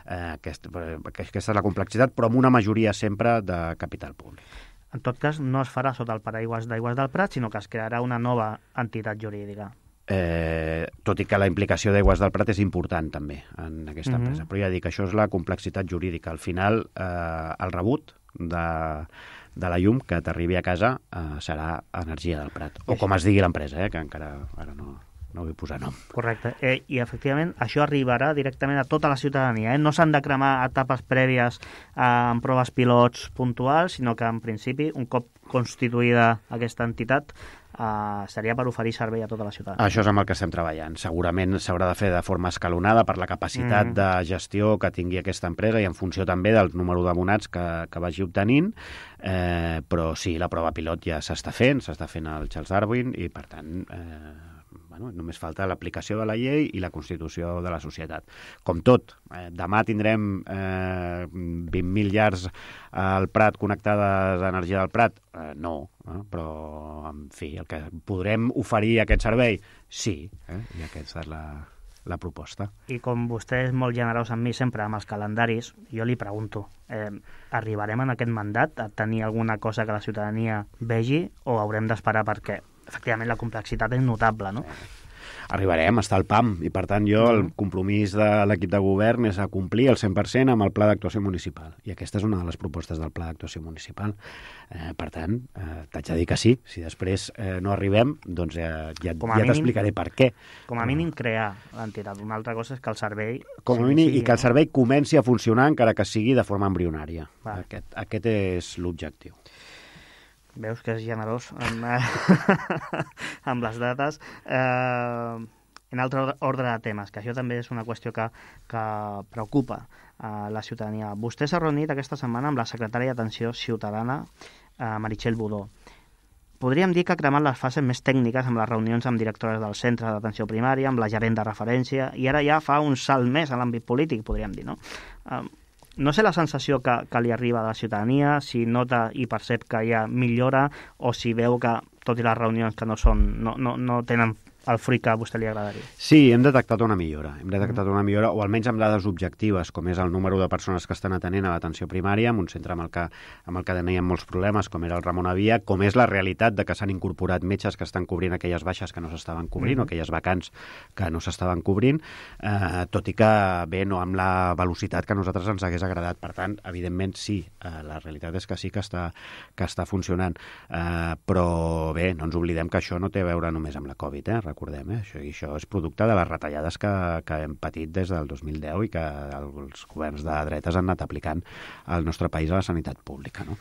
S4: Eh, aquest, aquesta és la complexitat, però amb una majoria sempre de capital públic.
S3: En tot cas, no es farà sota el paraigües d'Aigües del Prat, sinó que es crearà una nova entitat jurídica.
S4: Eh, tot i que la implicació d'Aigües del Prat és important també en aquesta uh-huh. empresa, però ja dic, això és la complexitat jurídica. Al final, eh, el rebut de, de la llum que t'arribi a casa eh, serà Energia del Prat, o com es digui l'empresa, eh, que encara ara no, no vull posar nom.
S3: Correcte, eh, i efectivament això arribarà directament a tota la ciutadania, eh? No s'han de cremar etapes prèvies eh, en proves pilots puntuals, sinó que en principi, un cop constituïda aquesta entitat, Uh, seria per oferir servei a tota la ciutat.
S4: Això és amb el que estem treballant. Segurament s'haurà de fer de forma escalonada per la capacitat mm. de gestió que tingui aquesta empresa i en funció també del número d'abonats que, que vagi obtenint, eh, però sí, la prova pilot ja s'està fent, s'està fent al Charles Darwin i per tant, eh, Bueno, només falta l'aplicació de la llei i la constitució de la societat. Com tot, eh, demà tindrem eh, vint mil llars al Prat connectades a energia del Prat? Eh, no, eh? Però, en fi, el que podrem oferir aquest servei, sí, eh? I aquesta és la, la proposta.
S3: I com vostè és molt generós amb mi sempre, amb els calendaris, jo li pregunto, eh, arribarem en aquest mandat a tenir alguna cosa que la ciutadania vegi o haurem d'esperar perquè efectivament la complexitat és notable, no?
S4: Arribarem, està al P A M, i per tant jo el compromís de l'equip de govern és a complir el cent per cent amb el Pla d'Actuació Municipal, i aquesta és una de les propostes del Pla d'Actuació Municipal. Eh, per tant, eh, t'haig de dir que sí. Si després eh, no arribem, doncs eh, ja, ja t'explicaré per què.
S3: Com a mínim crear l'entitat. Una altra cosa és que el servei...
S4: Com a mínim, sí, i que el servei comenci a funcionar, encara que sigui de forma embrionària. Aquest, aquest és l'objectiu.
S3: Veus que és generós amb, amb les dates. Eh, en altre ordre de temes, que això també és una qüestió que, que preocupa a la ciutadania. Vostè s'ha reunit aquesta setmana amb la secretària d'Atenció Ciutadana, eh, Meritxell Budó. Podríem dir que ha cremat les fases més tècniques amb les reunions amb directores del centre d'atenció primària, amb la gerent de referència, i ara ja fa un salt més a l'àmbit polític, podríem dir, no? Eh, No sé la sensació que, que li arriba de la ciutadania, si nota i percep que hi ha millora o si veu que, tot i les reunions que no són, no, no, no tenen el fruit que a vostè li agradaria.
S4: Sí, hem detectat una millora. Hem detectat una millora, o almenys amb dades objectives, com és el número de persones que estan atenent a l'atenció primària, en un centre amb el que, amb el que teníem molts problemes, com era el Ramon Avia, com és la realitat de que s'han incorporat metges que estan cobrint aquelles baixes que no s'estaven cobrint, mm-hmm. o aquelles vacants que no s'estaven cobrint, eh, tot i que, bé, no amb la velocitat que a nosaltres ens hagués agradat. Per tant, evidentment, sí, eh, la realitat és que sí que està, que està funcionant. Eh, però, bé, no ens oblidem que això no té a veure només amb la Covid, eh? Recordem, eh? Això, això és producte de les retallades que, que hem patit des del dos mil deu i que els governs de dretes han anat aplicant al nostre país a la sanitat pública, no?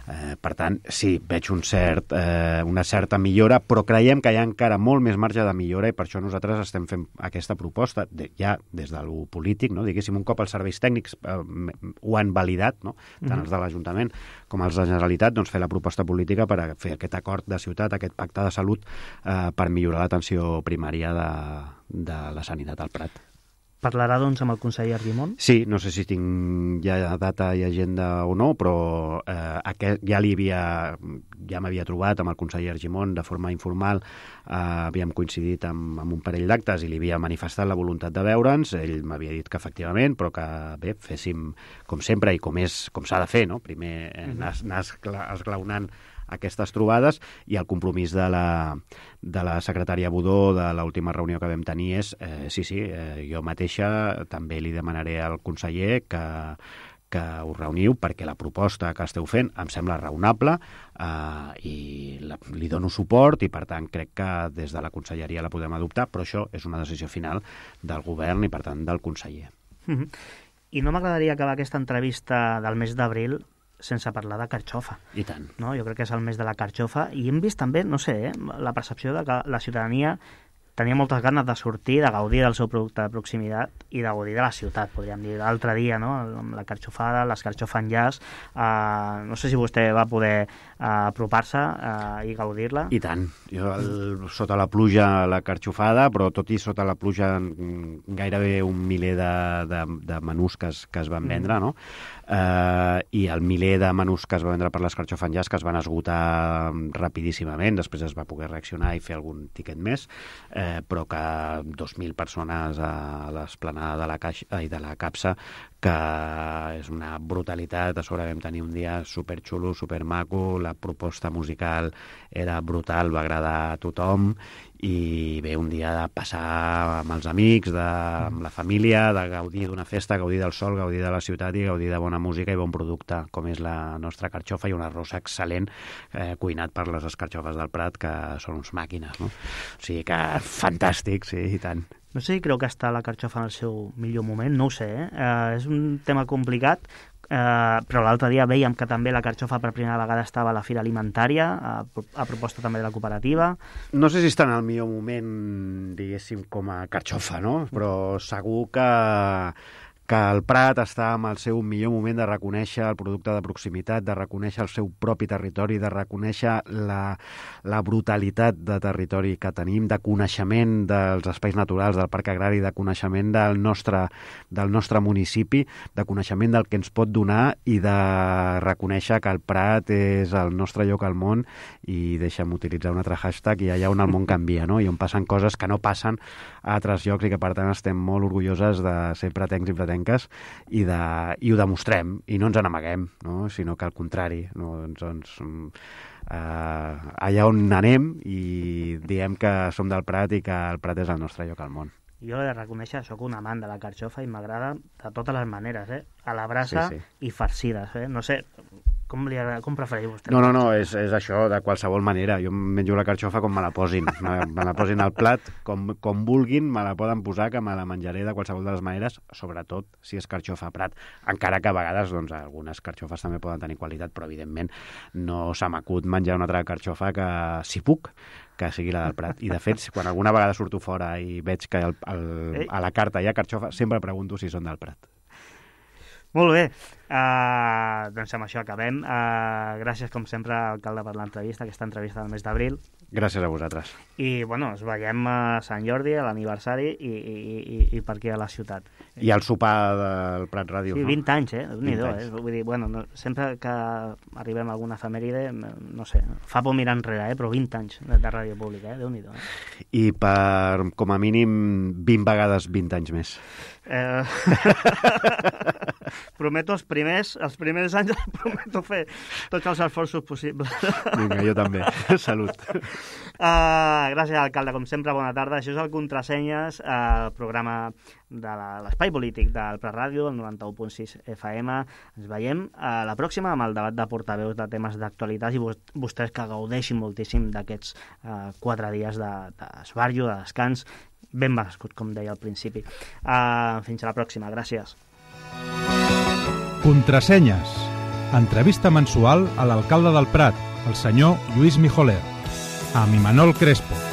S4: Eh, per tant, sí, veig un cert, eh, una certa millora, però creiem que hi ha encara molt més marge de millora i per això nosaltres estem fent aquesta proposta, de, ja des de lo polític, no? Diguéssim, un cop els serveis tècnics eh, ho han validat, no? Tant mm-hmm. els de l'Ajuntament com els de la Generalitat, doncs fer la proposta política per a fer aquest acord de ciutat, aquest pacte de salut eh, per millorar l'atenció primària de, de la sanitat al Prat.
S3: Parlarà, doncs, amb el conseller Argimon?
S4: Sí, no sé si tinc ja data i agenda o no, però eh, aquest, ja li havia, ja m'havia trobat amb el conseller Argimon de forma informal, eh, havíem coincidit amb, amb un parell d'actes i li havia manifestat la voluntat de veure'ns, ell m'havia dit que efectivament, però que bé, féssim com sempre i com és, com s'ha de fer, no? Primer eh, anar, anar esglaonant aquestes trobades, i el compromís de la, de la secretària Budó de l'última reunió que vam tenir és, eh, sí, sí, eh, jo mateixa també li demanaré al conseller que, que us reuniu perquè la proposta que esteu fent em sembla raonable eh, i la, li dono suport i per tant crec que des de la conselleria la podem adoptar, però això és una decisió final del govern i per tant del conseller.
S3: Mm-hmm. I no m'agradaria acabar aquesta entrevista del mes d'abril sense parlar de carxofa.
S4: I tant.
S3: No? Jo crec que és el mes de la carxofa i hem vist també, no sé, eh, la percepció de que la ciutadania tenia moltes ganes de sortir, de gaudir del seu producte de proximitat i de gaudir de la ciutat, podríem dir. L'altre dia, no?, amb la carxofada, les carxofanllars, eh, no sé si vostè va poder eh, apropar-se eh, i gaudir-la.
S4: I tant. Jo, el, sota la pluja, la carxofada, però tot i sota la pluja gairebé un miler de, de, de menús que es, que es van vendre, no? Eh, i el miler de menús que es va vendre per les carxofanllars que es van esgotar rapidíssimament, després es va poder reaccionar i fer algun tiquet més, eh, però que dos mil persones a l'esplanada de la Caixa i de la Capsa, que és una brutalitat. A sobre vam tenir un dia superxulo, supermaco, la proposta musical era brutal, va agradar a tothom, i bé, un dia de passar amb els amics, de, amb la família, de gaudir d'una festa, gaudir del sol, gaudir de la ciutat i gaudir de bona música i bon producte, com és la nostra carxofa, i un arròs excel·lent eh, cuinat per les escarxofes del Prat, que són uns màquines, no? O sigui que fantàstic, sí, i tant.
S3: No sé si creu que està la carxofa en el seu millor moment, no ho sé, eh? eh és un tema complicat, eh, però l'altre dia veiem que també la carxofa per primera vegada estava a la Fira Alimentària, a, a proposta també de la cooperativa.
S4: No sé si està en el millor moment, diguéssim, com a carxofa, no? Però segur que que el Prat està en el seu millor moment de reconèixer el producte de proximitat, de reconèixer el seu propi territori, de reconèixer la, la brutalitat de territori que tenim, de coneixement dels espais naturals, del parc agrari, de coneixement del nostre, del nostre municipi, de coneixement del que ens pot donar i de reconèixer que el Prat és el nostre lloc al món i deixa'm utilitzar un altre hashtag, i allà on el món canvia, no? I on passen coses que no passen a altres llocs i que per tant estem molt orgulloses de ser pratencs i pratencs i, de, i ho demostrem, i no ens n'amaguem, no? Sinó que al contrari, no? Ens, ens, eh, allà on anem i diem que som del Prat i que el Prat és el nostre lloc al món.
S3: Jo he de reconèixer, sóc un amant de la carxofa i m'agrada de totes les maneres, eh? A la brasa sí, sí. I farcides, eh? No sé, com, li agrada, com preferiu vostè?
S4: No, no, no, és, és això, de qualsevol manera. Jo menjo la carxofa com me la posin. Me, me la posin al plat, com, com vulguin, me la poden posar, que me la menjaré de qualsevol de les maneres, sobretot si és carxofa Prat. Encara que a vegades, doncs, algunes carxofes també poden tenir qualitat, però evidentment no se m'acut menjar una altra carxofa que, si puc, que sigui la del Prat. I, de fet, quan alguna vegada surto fora i veig que el, el, a la carta hi ha carxofa, sempre pregunto si són del Prat.
S3: Molt bé. Uh, doncs amb això acabem. Uh, gràcies, com sempre, alcalde, per l'entrevista, aquesta entrevista del mes d'abril.
S4: Gràcies a vosaltres.
S3: I, bueno, ens veiem a Sant Jordi, a l'aniversari, i, i, i, i per aquí a la ciutat.
S4: I al sopar del Prat Ràdio.
S3: Sí, vint no? anys, eh? Déu-n'hi-do, eh? Vull dir, bueno, no, sempre que arribem a alguna efemèride, no sé, fa por mirar enrere, eh? Però vint anys de, de ràdio pública, eh? Déu-n'hi-do, eh?
S4: I per, com a mínim, vint vegades vint anys més.
S3: Eh... prometo els primers, els primers anys prometo fer tots els esforços possibles.
S4: Vinga, jo també. Salut.
S3: Uh, gràcies, alcalde. Com sempre, bona tarda. Això és el Contrasenyes, el programa de l'Espai Polític del Prat Ràdio, el noranta-u punt sis F M. Ens veiem a la pròxima amb el debat de portaveus de temes d'actualitat i vostès que gaudeixin moltíssim d'aquests uh, quatre dies d'esbarjo, de, de descans, ben merescut, com deia al principi. Uh, fins a la pròxima. Gràcies.
S2: Contrasenyes. Entrevista mensual a l'alcalde del Prat, el senyor Lluís Mijoler, amb Imanol Crespo.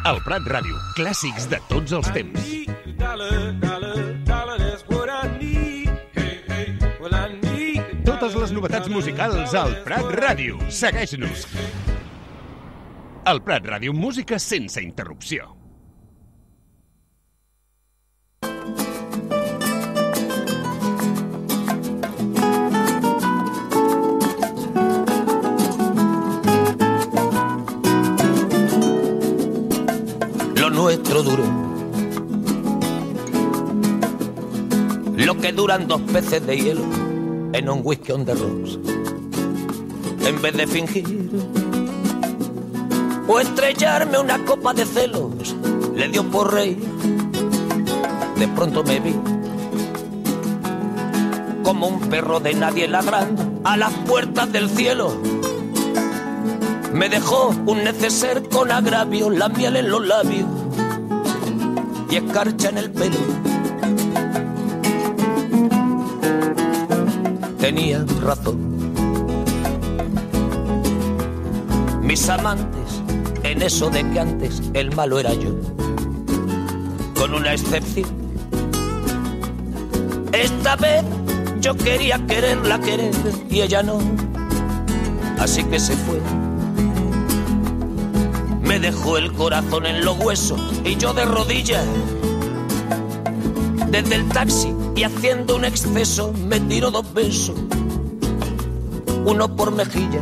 S5: El Prat Ràdio, clàssics de tots els temps. Totes les novetats musicals al Prat Ràdio. Segueix-nos. El Prat Ràdio, música sense interrupció.
S6: Nuestro duro, lo que duran dos peces de hielo en un whisky on the rocks. En vez de fingir o estrellarme una copa de celos. Le dio por reír. De pronto me vi como un perro de nadie ladrando a las puertas del cielo. Me dejó un neceser con agravio, la miel en los labios y escarcha en el pelo. Tenía razón. Mis amantes, en eso de que antes el malo era yo, con una excepción. Esta vez yo quería quererla querer y ella no, así que se fue. Me dejó el corazón en los huesos y yo de rodillas. Desde el taxi y haciendo un exceso me tiró dos besos, uno por mejilla,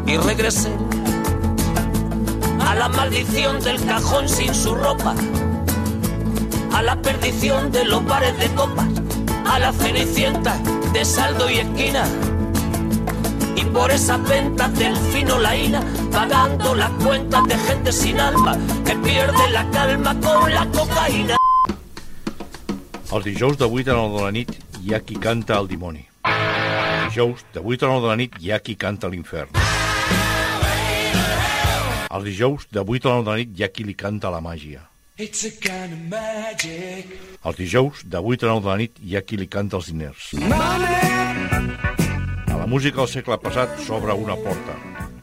S6: y regresé a la maldición del cajón sin su ropa, a la perdición de los bares de copas, a la cenicienta de saldo y esquina, y por esas ventas del fino laína, pagando las cuentas de gente sin alma que pierde la calma con la cocaïna.
S7: Els dijous de vuit a nou de la nit hi ha qui canta el dimoni. Els dijous de vuit a nou de la nit hi ha qui canta l'infern. Els dijous de vuit a nou de la nit hi ha qui li canta la màgia. It's a kind of magic. Els dijous de vuit a nou de la nit hi ha qui li canta els diners. A la música del segle passat s'obre una porta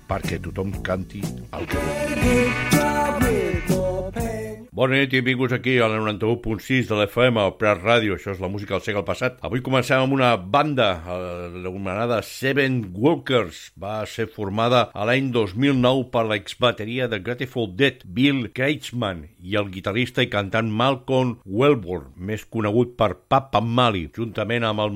S7: perquè tothom canti el que vulgui. Bona nit i benvinguts aquí a la noranta-u punt sis de l'F M, al Prat Ràdio. Això és la música del segle passat. Avui comencem amb una banda anomenada Seven Walkers. Va ser formada a l'any dos mil nou per l'exbateria de Grateful Dead, Bill Kreutzmann, i el guitarrista i cantant Malcolm Wellborn, més conegut per Papa Mali, juntament amb el